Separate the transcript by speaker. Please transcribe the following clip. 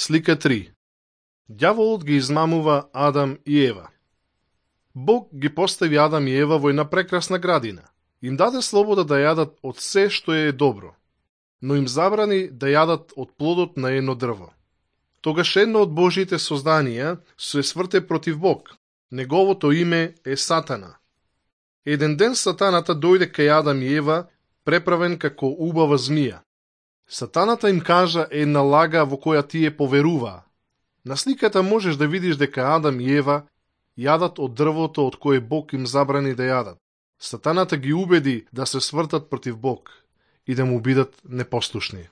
Speaker 1: Слика 3. Ѓаволот ги измамува Адам и Ева. Бог ги постави Адам и Ева во една прекрасна градина. Им даде слобода да јадат од се што е добро, но им забрани да јадат од плодот на едно дрво. Тогаш едно од Божите созданија се сврте против Бог. Неговото име е Сатана. Еден ден Сатаната дојде кај Адам и Ева, преправен како убава змија. Сатаната им кажа една лага во која тие поверуваа. На сликата можеш да видиш дека Адам и Ева јадат од дрвото од кое Бог им забрани да јадат. Сатаната ги убеди да се свртат против Бог и да му бидат непослушни.